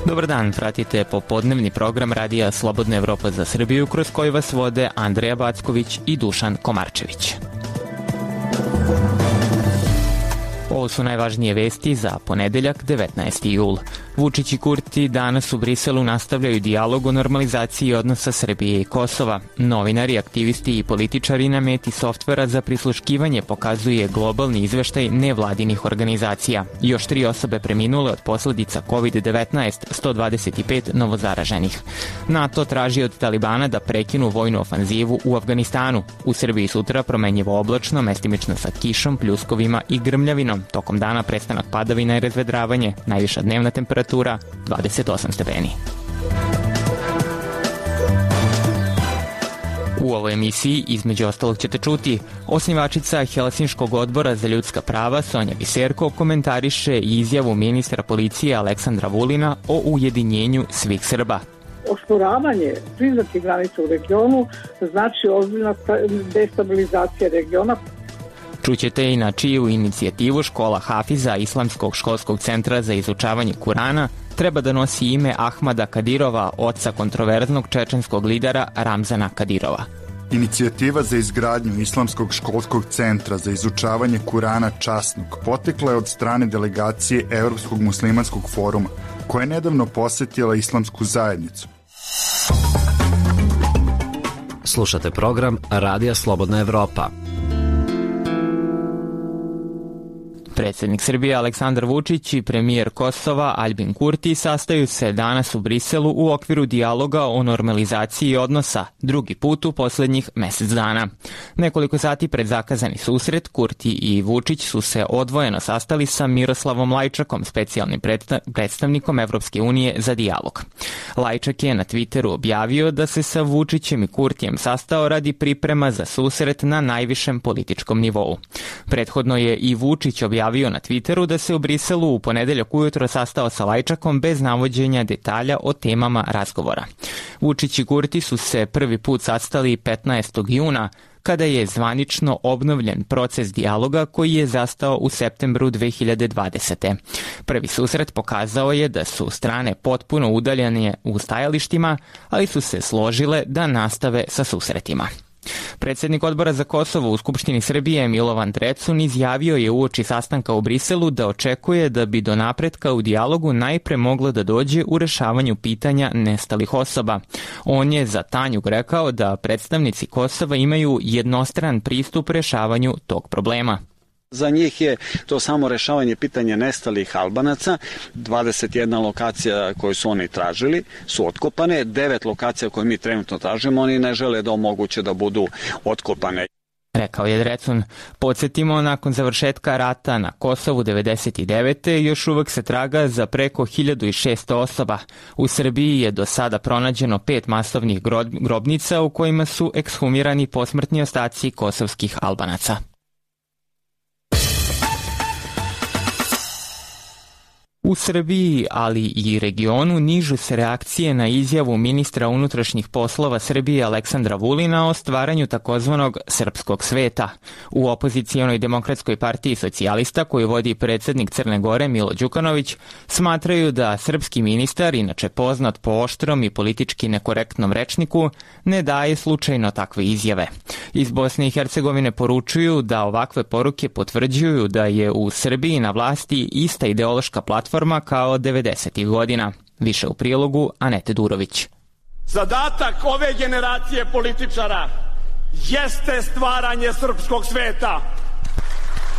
Dobar dan, pratite popodnevni program Radija Slobodna Evropa za Srbiju, kroz koji vas vode Andreja Backović i Dušan Komarčević. Ovo su najvažnije vesti za ponedeljak, 19. jul. Vučić i Kurti danas u Briselu nastavljaju dijalog o normalizaciji odnosa Srbije i Kosova. Novinari, aktivisti i političari na meti softvera za prisluškivanje pokazuje globalni izveštaj nevladinih organizacija. Još 3 osobe preminule od posledica COVID-19, 125 novozaraženih. NATO traži od Talibana da prekinu vojnu ofanzivu u Afganistanu. U Srbiji sutra promenjivo oblačno, mestimično sa kišom, pljuskovima i grmljavinom. Tokom dana prestanak padavina i razvedravanje, najviša dnevna temperatura 28 stepeni. U ovoj emisiji, između ostalog, ćete čuti: osnivačica Helsinškog odbora za ljudska prava Sonja Biserko komentariše izjavu ministra policije Aleksandra Vulina o ujedinjenju svih Srba. Osporavanje priznatih granica u regionu znači ozbiljna destabilizacija regiona. Čućete i na čiju inicijativu škola Hafiza Islamskog školskog centra za izučavanje Kurana treba da nosi ime Ahmada Kadirova, oca kontroverznog čečenskog lidera Ramzana Kadirova. Inicijativa za izgradnju Islamskog školskog centra za izučavanje Kurana časnog potekla je od strane delegacije Evropskog muslimanskog foruma, koja je nedavno posetila islamsku zajednicu. Slušate program Radija Slobodna Evropa. Predsjednik Srbije Aleksandar Vučić i premijer Kosova Aljbin Kurti sastaju se danas u Briselu u okviru dijaloga o normalizaciji odnosa, drugi put u posljednjih mesec dana. Nekoliko sati pred zakazani susret, Kurti i Vučić su se odvojeno sastali sa Miroslavom Lajčakom, specijalnim predstavnikom Evropske unije za dijalog. Lajčak je na Twitteru objavio da se sa Vučićem i Kurtijem sastao radi priprema za susret na najvišem političkom nivou. Prethodno je i Vučić objavio na Twitteru da se u Briselu u ponedeljak ujutro sastao sa Lajčakom bez navođenja detalja o temama razgovora. Vučić i Kurti su se prvi put sastali 15. juna, kada je zvanično obnovljen proces dijaloga koji je zastao u septembru 2020. Prvi susret pokazao je da su strane potpuno udaljene u stajalištima, ali su se složile da nastave sa susretima. Predsjednik odbora za Kosovo u Skupštini Srbije Milovan Drecun izjavio je uoči sastanka u Briselu da očekuje da bi do napretka u dijalogu najpre moglo da dođe u rešavanju pitanja nestalih osoba. On je za Tanjug rekao da predstavnici Kosova imaju jednostran pristup rešavanju tog problema. Za njih je to samo rešavanje pitanja nestalih Albanaca. 21 lokacija koju su oni tražili su otkopane, 9 lokacija koje mi trenutno tražimo oni ne žele da omoguće da budu otkopane. Rekao je Drecun. Podsjetimo, nakon završetka rata na Kosovu 1999. još uvek se traga za preko 1600 osoba. U Srbiji je do sada pronađeno 5 masovnih grobnica u kojima su ekshumirani posmrtni ostaci kosovskih Albanaca. U Srbiji, ali i regionu, nižu se reakcije na izjavu ministra unutrašnjih poslova Srbije Aleksandra Vulina o stvaranju takozvanog srpskog sveta. U opozicijonoj Demokratskoj partiji socijalista, koju vodi predsjednik Crne Gore Milo Đukanović, smatraju da srpski ministar, inače poznat po oštrom i politički nekorektnom rečniku, ne daje slučajno takve izjave. Iz Bosne i Hercegovine poručuju da ovakve poruke potvrđuju da je u Srbiji na vlasti ista ideološka platforma kao 90. godina. Više u prilogu Anete Durović. Zadatak ove generacije političara jeste stvaranje srpskog sveta.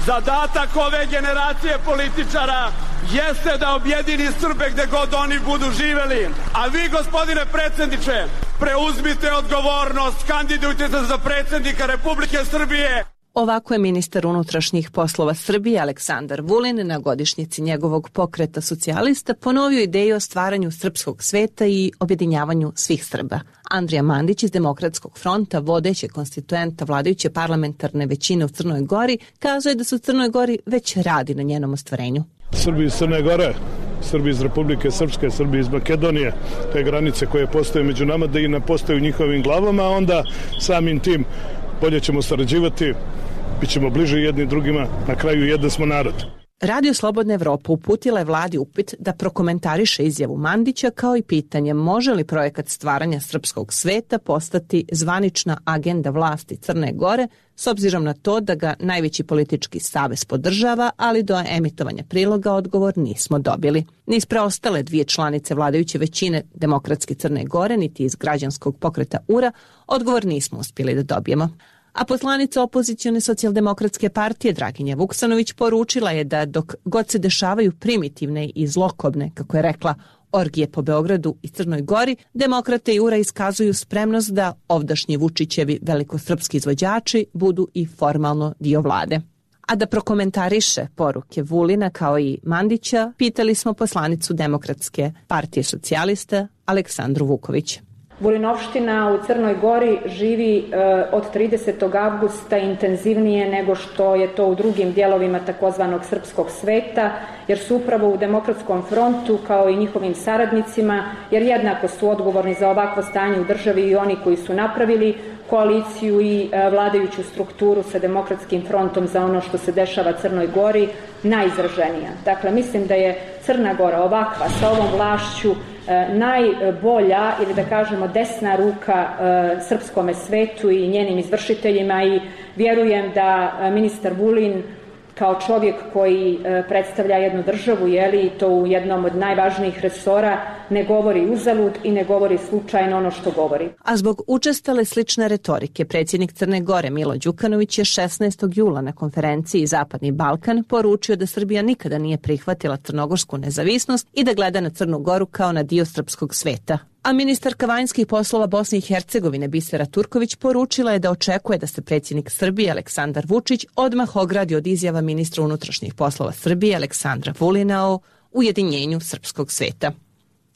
Zadatak ove generacije političara jeste da objedini Srbe gde god oni budu živeli. A vi, gospodine predsjedniče, preuzmite odgovornost, kandidujte se za predsjednika Republike Srbije. Ovako je ministar unutrašnjih poslova Srbije Aleksandar Vulin na godišnjici njegovog pokreta socijalista ponovio ideju o stvaranju srpskog sveta i objedinjavanju svih Srba. Andrija Mandić iz Demokratskog fronta, vodeće konstituenta vladajuće parlamentarne većine u Crnoj Gori, kazuje da se u Crnoj Gori već radi na njenom ostvarenju. Srbi iz Crne Gore, Srbi iz Republike Srpske, Srbi iz Makedonije, te granice koje postoje među nama, da i ne postoje u njihovim glavama, onda samim tim bolje ćemo sarađivati, bit ćemo bliže jedni drugima, na kraju jedan smo narod. Radio Slobodna Evropa uputila je vladi upit da prokomentariše izjavu Mandića kao i pitanje može li projekat stvaranja srpskog sveta postati zvanična agenda vlasti Crne Gore s obzirom na to da ga najveći politički savez podržava, ali do emitovanja priloga odgovor nismo dobili. Ni iz preostale dvije članice vladajuće većine Demokratske Crne Gore, niti iz građanskog pokreta URA, odgovor nismo uspjeli da dobijemo. A poslanica opozicione socijaldemokratske partije Draginja Vuksanović poručila je da dok god se dešavaju primitivne i zlokobne, kako je rekla, orgije po Beogradu i Crnoj Gori, demokrate i URA iskazuju spremnost da ovdašnji Vučićevi velikosrpski izvođači budu i formalno dio vlade. A da prokomentariše poruke Vulina kao i Mandića, pitali smo poslanicu Demokratske partije socijalista Aleksandru Vuković. Vulinovština u Crnoj Gori živi od 30. avgusta intenzivnije nego što je to u drugim dijelovima takozvanog srpskog sveta, jer su upravo u Demokratskom frontu kao i njihovim saradnicima, jer jednako su odgovorni za ovakvo stanje u državi i oni koji su napravili koaliciju i vladajuću strukturu sa Demokratskim frontom za ono što se dešava Crnoj Gori, najizraženija. Dakle, mislim da je Crna Gora ovakva sa ovom vlašću najbolja ili da kažemo desna ruka srpskome svetu i njenim izvršiteljima i vjerujem da ministar Vulin kao čovjek koji predstavlja jednu državu, i to u jednom od najvažnijih resora, ne govori uzalud i ne govori slučajno ono što govori. A zbog učestale slične retorike, predsjednik Crne Gore Milo Đukanović je 16. jula na konferenciji Zapadni Balkan poručio da Srbija nikada nije prihvatila crnogorsku nezavisnost i da gleda na Crnu Goru kao na dio srpskog sveta. A ministarka vanjskih poslova Bosne i Hercegovine Bisera Turković poručila je da očekuje da se predsjednik Srbije Aleksandar Vučić odmah ogradi od izjava ministra unutrašnjih poslova Srbije Aleksandra Vulina o ujedinjenju srpskog sveta.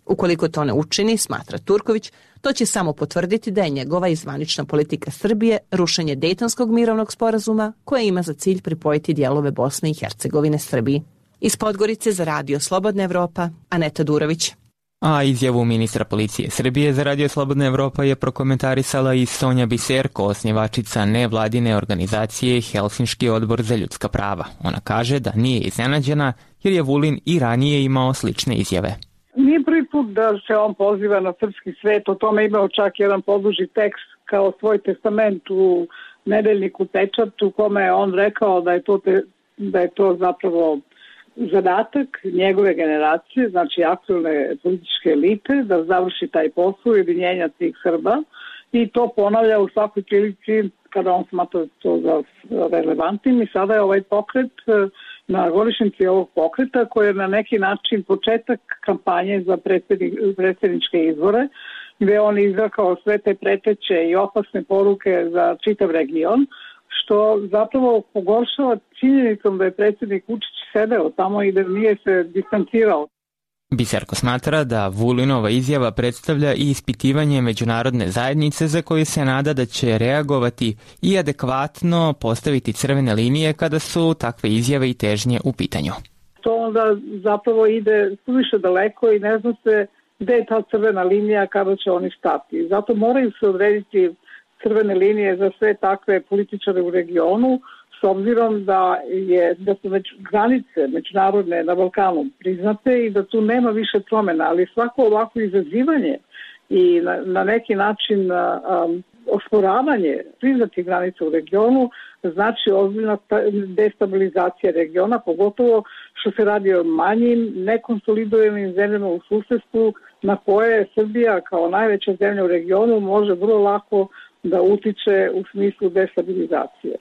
Ukoliko to ne učini, smatra Turković, to će samo potvrditi da je njegova i zvanična politika Srbije rušenje Dejtonskog mirovnog sporazuma koje ima za cilj pripojiti dijelove Bosne i Hercegovine Srbiji. Iz Podgorice za Radio Slobodna Evropa, Aneta Durović. A izjavu ministra policije Srbije za Radio Slobodna Evropa je prokomentarisala i Sonja Biserko, osnivačica nevladine organizacije Helsinški odbor za ljudska prava. Ona kaže da nije iznenađena jer je Vulin i ranije imao slične izjave. Nije prvi put da se on poziva na srpski svet, o tome imao čak jedan poduži tekst kao svoj testament u nedeljniku Pečat, u kome je on rekao da je to zapravo zadatak njegove generacije, znači aktualne političke elite, da završi taj posao ujedinjenja tih Srba i to ponavlja u svakoj prilici kada on smatra to za relevantnim i sada je ovaj pokret na godišnjici ovog pokreta koji je na neki način početak kampanje za predsjedničke izbore gdje on izrekao sve te preteće i opasne poruke za čitav region, što zapravo pogoršava činjenicom da je predsjednik Vučić sedeo tamo i da nije se distancirao. Biserko smatra da Vulinova izjava predstavlja i ispitivanje međunarodne zajednice za koju se nada da će reagovati i adekvatno postaviti crvene linije kada su takve izjave i težnje u pitanju. To onda zapravo ide suviše daleko i ne zna se gde je ta crvena linija kada će oni stati. Zato moraju se odrediti crvene linije za sve takve političare u regionu, s obzirom da su već granice međunarodne na Balkanu priznate i da tu nema više promjena, ali svako ovako izazivanje i na neki način osporavanje priznatih granica u regionu znači ozbiljna destabilizacija regiona, pogotovo što se radi o manjim, nekonsolidovanim zemljama u susjedstvu na koje Srbija kao najveća zemlja u regionu može vrlo lako da utiče u smislu destabilizacije.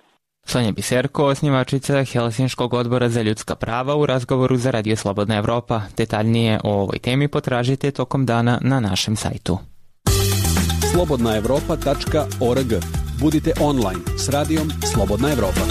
Sonja Biserko, osnivačica Helsinškog odbora za ljudska prava u razgovoru za Radio Slobodna Evropa. Detaljnije o ovoj temi potražite tokom dana na našem sajtu. slobodnaevropa.org. Budite online s radijom Slobodna Evropa.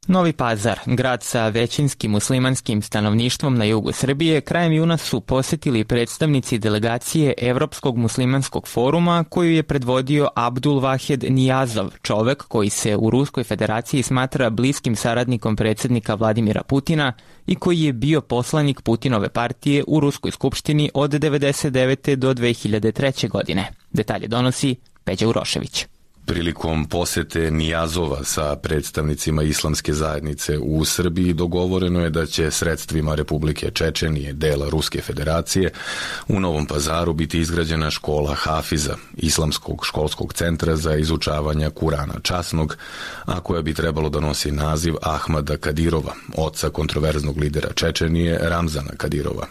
Novi Pazar, grad sa većinskim muslimanskim stanovništvom na jugu Srbije, krajem juna su posjetili predstavnici delegacije Evropskog muslimanskog foruma koju je predvodio Abdul Vahed Nijazov, čovek koji se u Ruskoj federaciji smatra bliskim saradnikom predsjednika Vladimira Putina i koji je bio poslanik Putinove partije u Ruskoj skupštini od 1999. do 2003. godine. Detalje donosi Peđa Urošević. Prilikom posete Nijazova sa predstavnicima islamske zajednice u Srbiji dogovoreno je da će sredstvima Republike Čečenije, dela Ruske federacije, u Novom Pazaru biti izgrađena škola Hafiza, islamskog školskog centra za izučavanje Kurana časnog, a koja bi trebalo da nosi naziv Ahmada Kadirova, oca kontroverznog lidera Čečenije Ramzana Kadirova.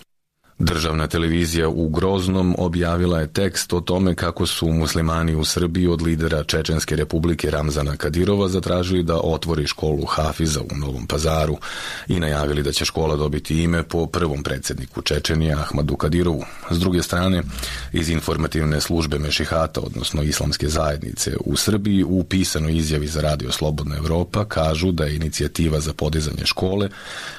Državna televizija u Groznom objavila je tekst o tome kako su muslimani u Srbiji od lidera Čečenske republike Ramzana Kadirova zatražili da otvori školu Hafiza u Novom Pazaru i najavili da će škola dobiti ime po prvom predsjedniku Čečenije Ahmadu Kadirovu. S druge strane, iz informativne službe Mešihata, odnosno islamske zajednice u Srbiji, u pisanoj izjavi za Radio Slobodna Evropa kažu da je inicijativa za podizanje škole,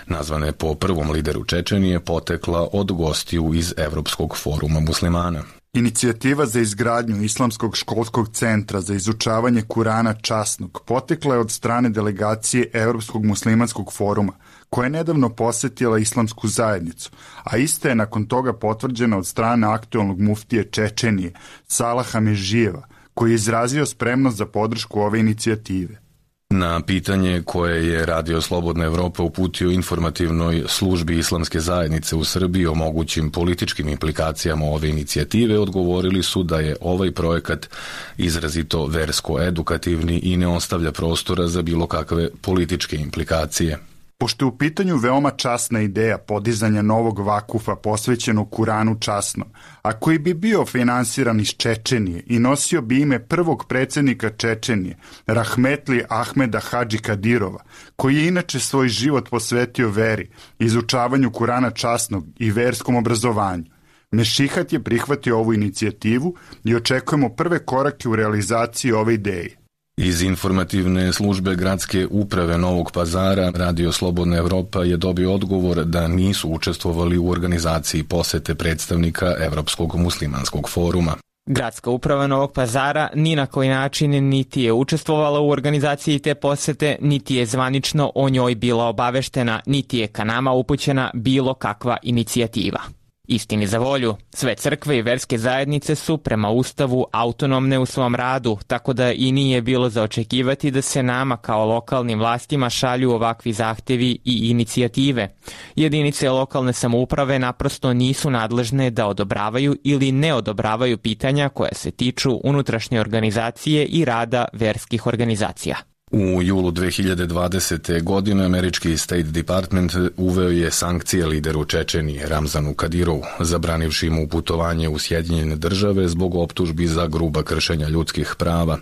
nazvane po prvom lideru Čečenije, potekla od gostiju iz Evropskog foruma muslimana. Inicijativa za izgradnju Islamskog školskog centra za izučavanje Kurana časnog potekla je od strane delegacije Evropskog muslimanskog foruma, koja je nedavno posetila islamsku zajednicu, a ista je nakon toga potvrđena od strane aktualnog muftije Čečenije, Salaha Mežijeva, koji je izrazio spremnost za podršku ove inicijative. Na pitanje koje je Radio Slobodna Evropa uputio informativnoj službi islamske zajednice u Srbiji o mogućim političkim implikacijama ove inicijative, odgovorili su da je ovaj projekat izrazito versko-edukativni i ne ostavlja prostora za bilo kakve političke implikacije. Pošto je u pitanju veoma časna ideja podizanja novog vakufa posvećenog Kuranu časnom, a koji bi bio finansiran iz Čečenije i nosio bi ime prvog predsjednika Čečenije, Rahmetli Ahmeda Hadži Kadirova, koji je inače svoj život posvetio veri, izučavanju Kurana časnog i verskom obrazovanju, Mešihat je prihvatio ovu inicijativu i očekujemo prve korake u realizaciji ove ideje. Iz informativne službe gradske uprave Novog Pazara Radio Slobodna Evropa je dobio odgovor da nisu učestvovali u organizaciji posete predstavnika Evropskog muslimanskog foruma. Gradska uprava Novog Pazara ni na koji način niti je učestvovala u organizaciji te posete, niti je zvanično o njoj bila obaveštena, niti je ka nama upućena bilo kakva inicijativa. Istini za volju, sve crkve i verske zajednice su prema Ustavu autonomne u svom radu, tako da i nije bilo za očekivati da se nama kao lokalnim vlastima šalju ovakvi zahtevi i inicijative. Jedinice lokalne samouprave naprosto nisu nadležne da odobravaju ili ne odobravaju pitanja koja se tiču unutrašnje organizacije i rada verskih organizacija. U julu 2020. godine američki State Department uveo je sankcije lideru Čečenije Ramzanu Kadirovu, zabranivši mu putovanje u Sjedinjene države zbog optužbi za gruba kršenja ljudskih prava,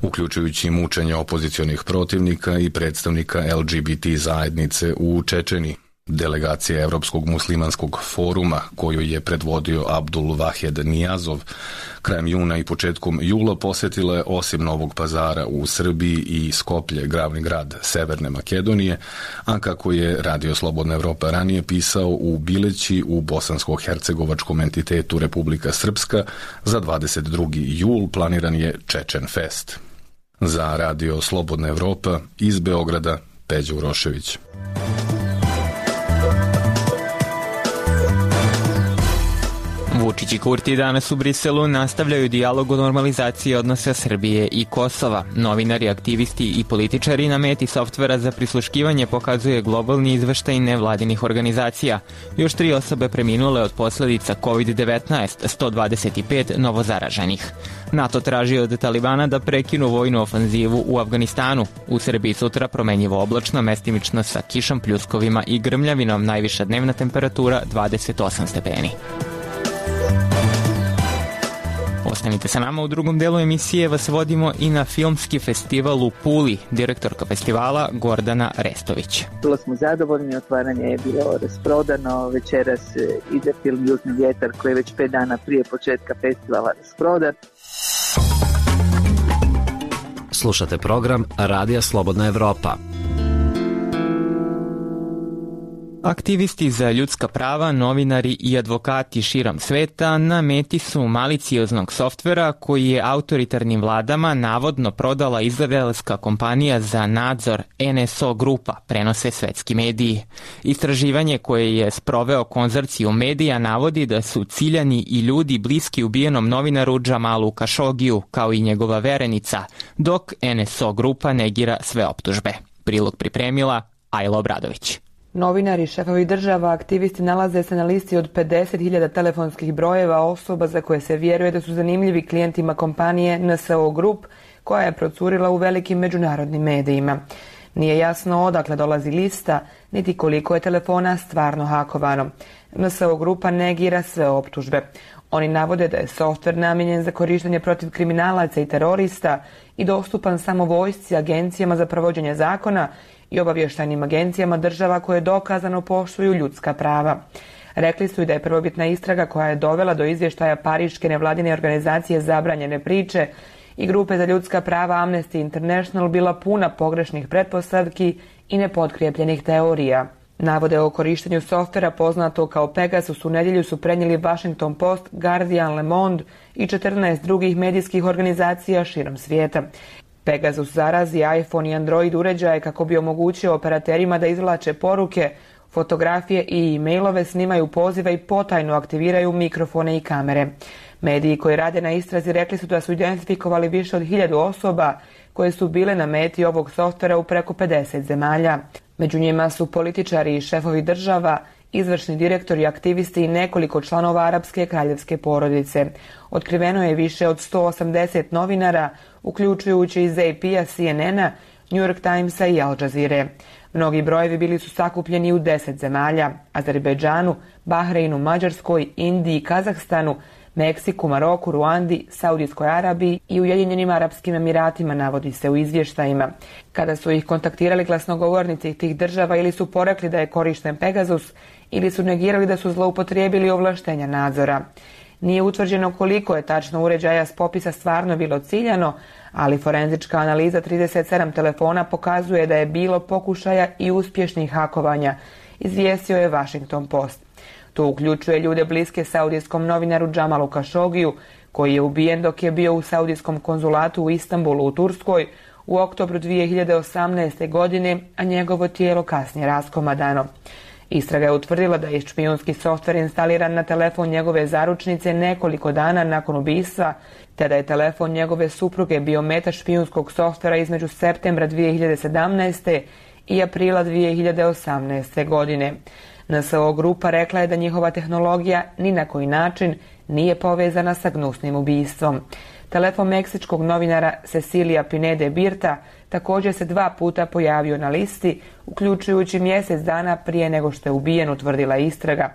uključujući mučenje opozicionih protivnika i predstavnika LGBT zajednice u Čečeniji. Delegacija Evropskog muslimanskog foruma, koju je predvodio Abdul Vahed Nijazov, krajem juna i početkom jula posjetila je osim Novog Pazara u Srbiji i Skoplje, glavni grad Severne Makedonije, a kako je Radio Slobodna Evropa ranije pisao, u Bileći u bosansko-hercegovačkom entitetu Republika Srpska za 22. jul planiran je Čečen Fest. Za Radio Slobodna Evropa iz Beograda, Peđa Urošević. Vučić i Kurti danas u Briselu nastavljaju dijalog o normalizaciji odnosa Srbije i Kosova. Novinari, aktivisti i političari na meti softvera za prisluškivanje pokazuje globalni izveštaj nevladinih organizacija. Još 3 osobe preminule od posledica COVID-19, 125 novozaraženih. NATO traži od Talibana da prekinu vojnu ofanzivu u Afganistanu. U Srbiji sutra promenjivo oblačno, mestimično sa kišom, pljuskovima i grmljavinom, najviša dnevna temperatura 28 stepeni. Ostanite sa nama, u drugom delu emisije vas vodimo i na filmski festival u Puli, direktorka festivala Gordana Restović. Bilo smo zadovoljni, otvaranje je bilo rasprodano, večeras ide film Južni vjetar koji je već 5 dana prije početka festivala rasprodan. Slušate program Radija Slobodna Evropa. Aktivisti za ljudska prava, novinari i advokati širom sveta na meti su malicioznog softvera koji je autoritarnim vladama navodno prodala izraelska kompanija za nadzor NSO Grupa, prenose svetski mediji. Istraživanje koje je sproveo konzorcijum medija navodi da su ciljani i ljudi bliski ubijenom novinaru Džamalu Kašogiju, kao i njegova verenica, dok NSO Grupa negira sve optužbe. Prilog pripremila Ajla Obradović. Novinari, šefovi država, aktivisti nalaze se na listi od 50.000 telefonskih brojeva osoba za koje se vjeruje da su zanimljivi klijentima kompanije NSO Group, koja je procurila u velikim međunarodnim medijima. Nije jasno odakle dolazi lista, niti koliko je telefona stvarno hakovano. NSO Grupa negira sve optužbe. Oni navode da je softver namijenjen za korištenje protiv kriminalaca i terorista i dostupan samo vojsci, agencijama za provođenje zakona i obavještajnim agencijama država koje dokazano poštuju ljudska prava. Rekli su i da je prvobitna istraga koja je dovela do izvještaja Pariške nevladine organizacije Zabranjene priče i grupe za ljudska prava Amnesty International bila puna pogrešnih pretpostavki i nepotkrijepljenih teorija. Navode o korištenju softvera poznato kao Pegasus u nedjelju su prenijeli Washington Post, Guardian, Le Monde i 14 drugih medijskih organizacija širom svijeta. Pegasus zarazi iPhone i Android uređaje kako bi omogućio operaterima da izvlače poruke, fotografije i e-mailove, snimaju pozive i potajno aktiviraju mikrofone i kamere. Mediji koji rade na istrazi rekli su da su identifikovali više od 1000 osoba koje su bile na meti ovog softvera u preko 50 zemalja. Među njima su političari i šefovi država, izvršni direktori, aktivisti i nekoliko članova arapske kraljevske porodice. Otkriveno je više od 180 novinara, uključujući iz AP-a, CNN-a, New York Timesa i Al Jazeere. Mnogi brojevi bili su sakupljeni u 10 zemalja: Azerbejdžanu, Bahreinu, Mađarskoj, Indiji, Kazahstanu, Meksiku, Maroku, Ruandi, Saudijskoj Arabiji i Ujedinjenim Arapskim Emiratima, navodi se u izvještajima. Kada su ih kontaktirali glasnogovornici tih država, ili su porekli da je korišten Pegasus, ili su negirali da su zloupotrijebili ovlaštenja nadzora. Nije utvrđeno koliko je tačno uređaja s popisa stvarno bilo ciljano, ali forenzička analiza 37 telefona pokazuje da je bilo pokušaja i uspješnih hakovanja, izvijestio je Washington Post. To uključuje ljude bliske saudijskom novinaru Džamalu Kašogiju, koji je ubijen dok je bio u saudijskom konzulatu u Istanbulu u Turskoj u oktobru 2018. godine, a njegovo tijelo kasnije raskomadano. Istraga je utvrdila da je špijunski softver instaliran na telefon njegove zaručnice nekoliko dana nakon ubistva, te da je telefon njegove supruge bio meta špijunskog softvera između septembra 2017. i aprila 2018. godine. NSO Grupa rekla je da njihova tehnologija ni na koji način nije povezana sa gnusnim ubistvom. Telefon meksičkog novinara Cecilia Pinede Birta također se 2 puta pojavio na listi, uključujući mjesec dana prije nego što je ubijen, utvrdila istraga.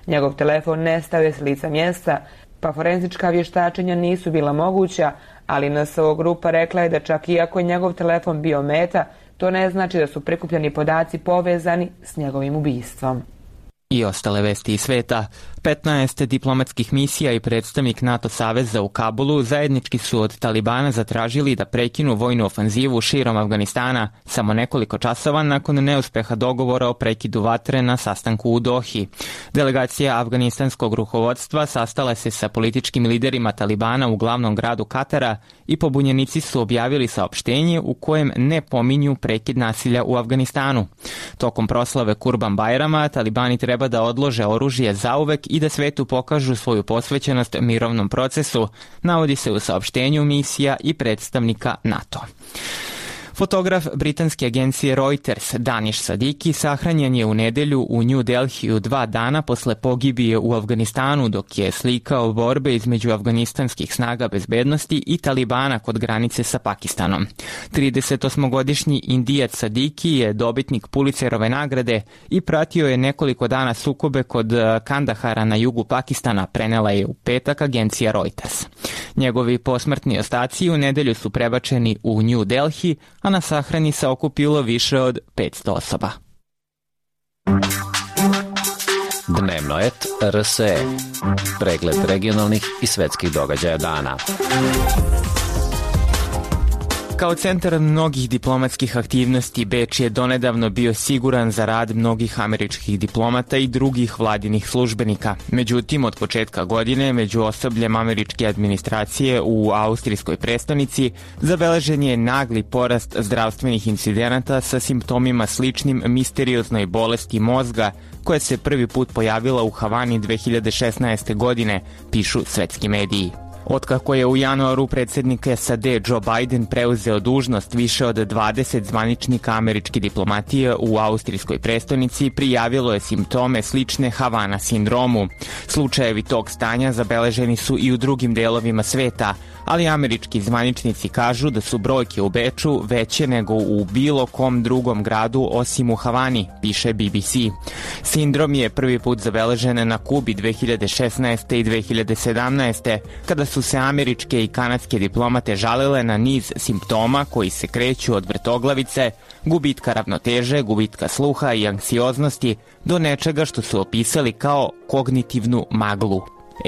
Njegov telefon nestao je s lica mjesta, pa forenzička vještačenja nisu bila moguća, ali NSO Grupa rekla je da čak iako je njegov telefon bio meta, to ne znači da su prikupljeni podaci povezani s njegovim ubistvom. I ostale vesti iz sveta. 15 diplomatskih misija i predstavnik NATO saveza u Kabulu zajednički su od Talibana zatražili da prekinu vojnu ofanzivu širom Afganistana samo nekoliko časova nakon neuspeha dogovora o prekidu vatre na sastanku u Dohi. Delegacija afganistanskog rukovodstva sastala se sa političkim liderima Talibana u glavnom gradu Katara i pobunjenici su objavili saopštenje u kojem ne pominju prekid nasilja u Afganistanu. Tokom proslave Kurban Bajrama Talibani treba da odlože oružje zauvek i da svetu pokažu svoju posvećenost mirovnom procesu, navodi se u saopštenju misija i predstavnika NATO. Fotograf britanske agencije Reuters Danish Sadiki sahranjen je u nedelju u New Delhiju 2 dana posle pogibije u Afganistanu dok je slikao borbe između afganistanskih snaga bezbednosti i Talibana kod granice sa Pakistanom. 38-godišnji Indijac Sadiki je dobitnik Pulitzerove nagrade i pratio je nekoliko dana sukobe kod Kandahara na jugu Pakistana, prenela je u petak agencija Reuters. Njegovi posmrtni ostaci u nedelju su prebačeni u New Delhi, a na sahrani se okupilo više od 500 osoba. Dnevno et RSE. Pregled regionalnih i svetskih događaja dana. Kao centar mnogih diplomatskih aktivnosti, Beč je donedavno bio siguran za rad mnogih američkih diplomata i drugih vladinih službenika. Međutim, od početka godine, među osobljem američke administracije u austrijskoj prestonici, zabeležen je nagli porast zdravstvenih incidenata sa simptomima sličnim misterioznoj bolesti mozga, koja se prvi put pojavila u Havani 2016. godine, pišu svetski mediji. Otkako je u januaru predsjednik SAD Joe Biden preuzeo dužnost, više od 20 zvaničnika američke diplomatije u austrijskoj prestonici prijavilo je simptome slične Havana sindromu. Slučajevi tog stanja zabeleženi su i u drugim delovima sveta, ali američki zvaničnici kažu da su brojke u Beču veće nego u bilo kom drugom gradu osim u Havani, piše BBC. Sindrom je prvi put zabeležen na Kubi 2016. i 2017. kada su se američke i kanadske diplomate žalile na niz simptoma koji se kreću od vrtoglavice, gubitka ravnoteže, gubitka sluha i anksioznosti do nečega što su opisali kao kognitivnu maglu.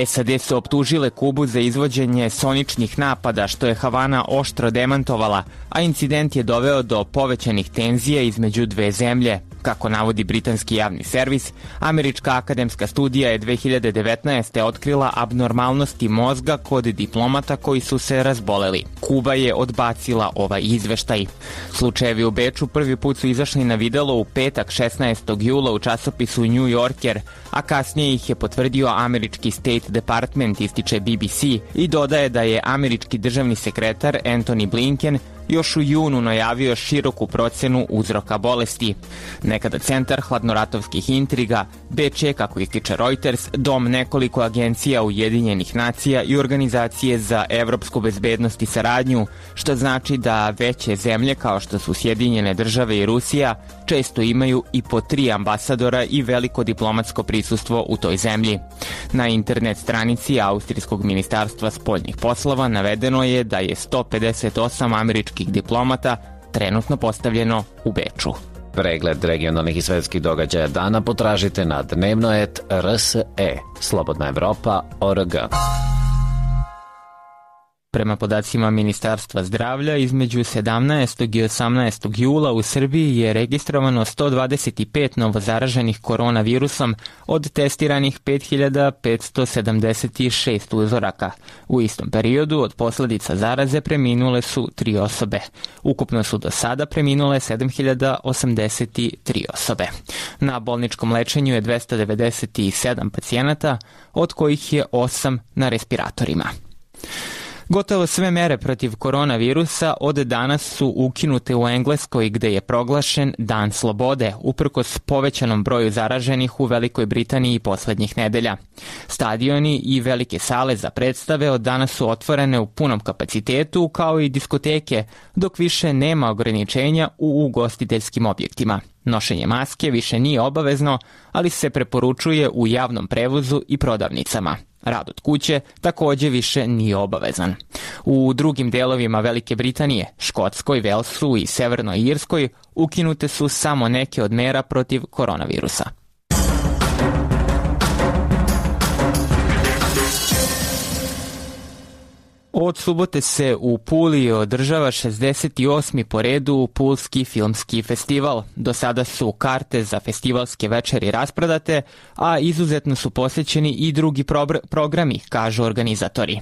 SAD su optužile Kubu za izvođenje soničnih napada, što je Havana oštro demantovala, a incident je doveo do povećanih tenzija između dve zemlje. Kako navodi britanski javni servis, američka akademska studija je 2019. otkrila abnormalnosti mozga kod diplomata koji su se razboleli. Kuba je odbacila ovaj izveštaj. Slučajevi u Beču prvi put su izašli na videlo u petak 16. jula u časopisu New Yorker, a kasnije ih je potvrdio američki State Department, ističe BBC, i dodaje da je američki državni sekretar Antony Blinken još u junu najavio široku procenu uzroka bolesti. Nekada centar hladnoratovskih intriga, Beč je, kako ističe Reuters, dom nekoliko agencija Ujedinjenih nacija i organizacije za evropsku bezbednost i saradnju, što znači da veće zemlje kao što su Sjedinjene države i Rusija često imaju i po 3 ambasadora i veliko diplomatsko prisustvo u toj zemlji. Na internet stranici Austrijskog ministarstva spoljnih poslova navedeno je da je 158 američkih diplomata trenutno postavljeno u Beču. Pregled regionalnih i svetskih događaja dana potražite na dnevnoet.rse, slobodnaevropa.org. Prema podacima Ministarstva zdravlja, između 17. i 18. jula u Srbiji je registrovano 125 novozaraženih koronavirusom od testiranih 5576 uzoraka. U istom periodu od posljedica zaraze preminule su 3 osobe. Ukupno su do sada preminule 7083 osobe. Na bolničkom lečenju je 297 pacijenata, od kojih je 8 na respiratorima. Gotovo sve mere protiv koronavirusa od danas su ukinute u Engleskoj, gde je proglašen Dan slobode, uprkos povećanom broju zaraženih u Velikoj Britaniji poslednjih nedelja. Stadioni i velike sale za predstave od danas su otvorene u punom kapacitetu, kao i diskoteke, dok više nema ograničenja u ugostiteljskim objektima. Nošenje maske više nije obavezno, ali se preporučuje u javnom prevozu i prodavnicama. Rad od kuće također više nije obavezan. U drugim delovima Velike Britanije, Škotskoj, Velsu i Severnoj Irskoj ukinute su samo neke od mera protiv koronavirusa. Od subote se u Puli održava 68. po redu Pulski filmski festival. Do sada su karte za festivalske večeri rasprodate, a izuzetno su posjećeni i drugi programi, kažu organizatori.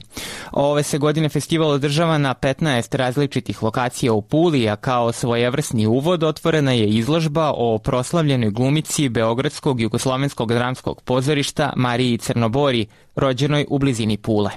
Ove se godine festival održava na 15 različitih lokacija u Puli, a kao svojevrsni uvod otvorena je izložba o proslavljenoj glumici Beogradskog jugoslovenskog dramskog pozorišta Mariji Crnobori, rođenoj u blizini Pule.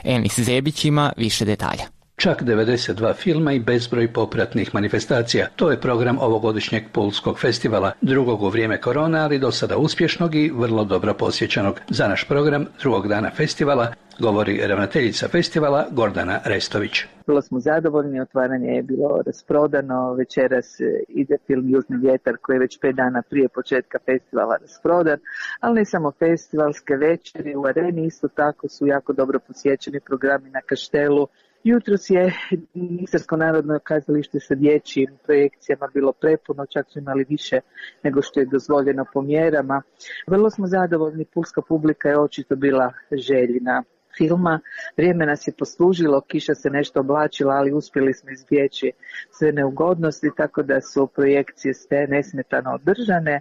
Enis Zebić ima više detalja. Čak 92 filma i bezbroj popratnih manifestacija. To je program ovogodišnjeg Pulskog festivala, drugog u vrijeme korona, ali do sada uspješnog i vrlo dobro posjećenog. Za naš program drugog dana festivala govori ravnateljica festivala Gordana Restović. Vrlo smo zadovoljni, otvaranje je bilo rasprodano, večeras ide film Južni vjetar koji je već 5 dana prije početka festivala rasprodan, ali ne samo festivalske večeri, u areni isto tako su jako dobro posjećeni programi na Kaštelu. Jutros je Istarsko narodno kazalište sa dječjim projekcijama bilo prepuno, čak su imali više nego što je dozvoljeno po mjerama. Vrlo smo zadovoljni, pulska publika je očito bila željna filma. Vrijeme nas je poslužilo, kiša se nešto oblačila, ali uspjeli smo izbjeći sve neugodnosti, tako da su projekcije sve nesmetano održane.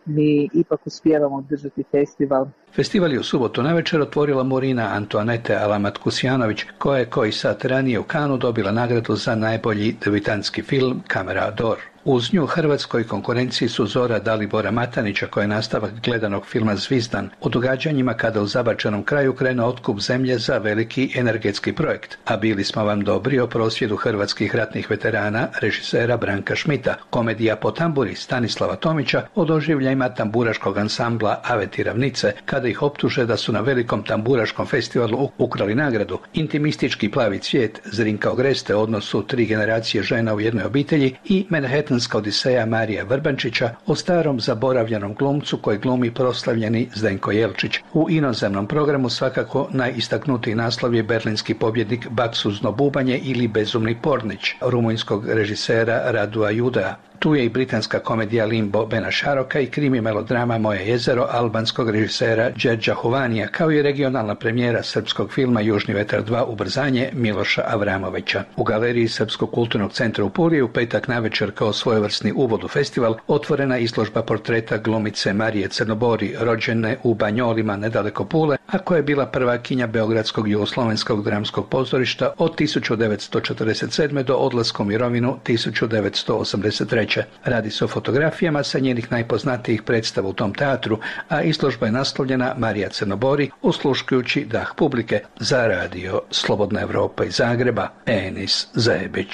Mi ipak uspijevamo održati festival. Festival je u subotu navečer otvorila Morina Antoanete Alamat-Kusjanović, koja je koji sat ranije u Kanu dobila nagradu za najbolji debitantski film Kamera d'Or. Uz nju hrvatskoj konkurenciji su Zora Dalibora Matanića, koja je nastavak gledanog filma Zvizdan, o događanjima kada u zabačenom kraju krene otkup zemlje za veliki energetski projekt. A bili smo vam dobri o prosvjedu hrvatskih ratnih veterana režisera Branka Šmita, komedija po tamburi Stanislava Tomića o doživljajima tamburaškog ansambla Aveti Ravnice, kada ih optuže da su na velikom tamburaškom festivalu ukrali nagradu, intimistički Plavi cvijet Zrinka Ogreste o odnosu 3 generacije žena u jednoj obitelji i Manhattanska odiseja Marija Vrbančića o starom zaboravljenom glumcu koji glumi proslavljeni Zdenko Jelčić. U inozemnom programu svakako najistaknutiji naslov je berlinski pobjednik Baksuzno bubanje ili Bezumni pornić rumunjskog režisera Radua Judea. Tu je i britanska komedija Limbo Bena Šaroka i krimi melodrama Moje jezero albanskog režisera Đerđa Hovanija, kao i regionalna premijera srpskog filma Južni vetar 2 ubrzanje Miloša Avramovića. U galeriji Srpskog kulturnog centra u Puli u petak navečer kao svojevrsni uvod u festival otvorena izložba portreta glumice Marije Crnobori, rođene u Banjolima nedaleko Pule, a koja je bila prvakinja Beogradskog jugoslovenskog dramskog pozorišta od 1947. do odlaska u mirovinu 1983. Radi se o fotografijama sa njenih najpoznatijih predstava u tom teatru, a izložba je naslovljena Marija Crnobori, osluškujući dah publike. Za radio Slobodna Evropa iz Zagreba, Enis Zajebić.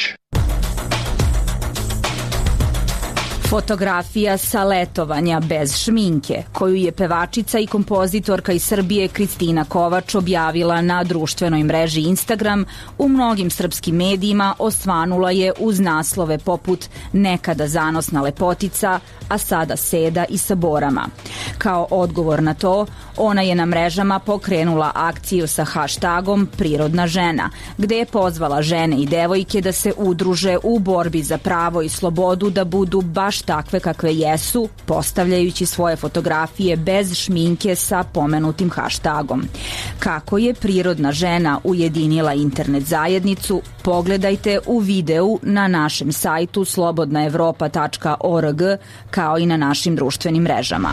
Fotografija sa letovanja bez šminke, koju je pevačica i kompozitorka iz Srbije Kristina Kovač objavila na društvenoj mreži Instagram, u mnogim srpskim medijima osvanula je uz naslove poput nekada zanosna lepotica, a sada seda i sa borama. Kao odgovor na to, ona je na mrežama pokrenula akciju sa hashtagom Prirodna žena, gde je pozvala žene i devojke da se udruže u borbi za pravo i slobodu da budu baš takve kakve jesu, postavljajući svoje fotografije bez šminke sa pomenutim hashtagom. Kako je Prirodna žena ujedinila internet zajednicu, pogledajte u videu na našem sajtu slobodnaevropa.org, kao i na našim društvenim mrežama.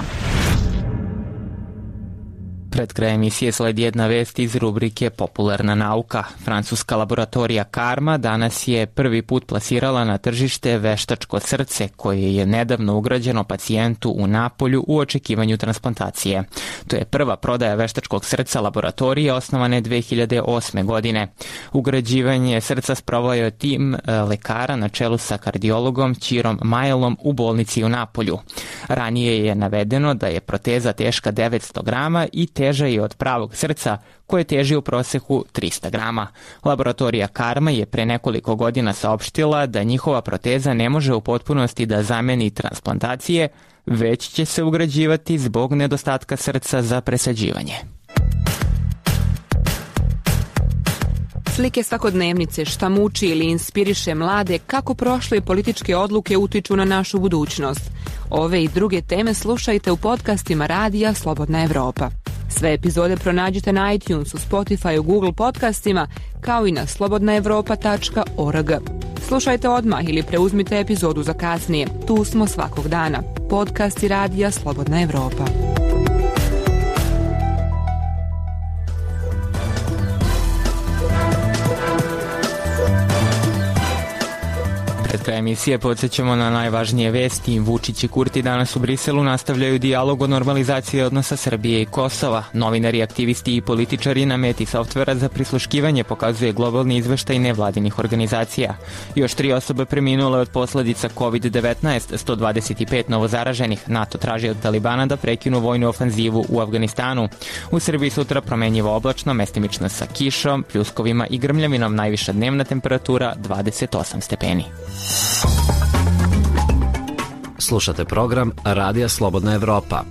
Pred krajem emisije sledi jedna vest iz rubrike Popularna nauka. Francuska laboratorija Karma danas je prvi put plasirala na tržište veštačko srce koje je nedavno ugrađeno pacijentu u Napolju u očekivanju transplantacije. To je prva prodaja veštačkog srca laboratorije osnovane 2008. godine. Ugrađivanje srca sproveo je tim lekara na čelu sa kardiologom Ćirom Majlom u bolnici u Napolju. Ranije je navedeno da je proteza teška 900 grama i teža je od pravog srca koje teži u proseku 300 grama. Laboratorija Karma je pre nekoliko godina saopštila da njihova proteza ne može u potpunosti da zameni transplantacije, već će se ugrađivati zbog nedostatka srca za presađivanje. Slike svakodnevnice, šta muči ili inspiriše mlade, kako prošle političke odluke utiču na našu budućnost. Ove i druge teme slušajte u podcastima radija Slobodna Evropa. Sve epizode pronađite na iTunesu, Spotifyu, Google podcastima, kao i na slobodnaevropa.org. Slušajte odmah ili preuzmite epizodu za kasnije. Tu smo svakog dana. Podcasti radija Slobodna Evropa. Pred kraj emisije podsjećamo na najvažnije vesti. Vučić i Kurti danas u Briselu nastavljaju dijalog o normalizaciji odnosa Srbije i Kosova. Novinari, aktivisti i političari na meti softvera za prisluškivanje pokazuje globalni izveštaj nevladinih organizacija. Još 3 osobe preminule od posledica COVID-19, 125 novozaraženih. NATO traži od Talibana da prekinu vojnu ofanzivu u Afganistanu. U Srbiji sutra promenjivo oblačno, mestimično sa kišom, pljuskovima i grmljavinom, najviša dnevna temperatura 28 stepeni. Slušate program Radija Slobodna Evropa.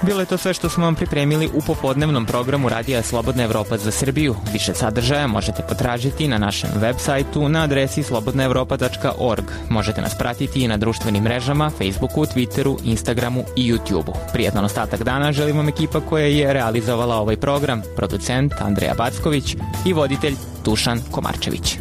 Bilo je to sve što smo vam pripremili u popodnevnom programu Radija Slobodna Evropa za Srbiju. Više sadržaja možete potražiti na našem web sajtu na adresi slobodnaevropa.org. Možete nas pratiti i na društvenim mrežama, Facebooku, Twitteru, Instagramu i YouTubeu. Prijetan ostatak dana želim vam ekipa koja je realizovala ovaj program, producent Andreja Backović i voditelj Dušan Komarčević.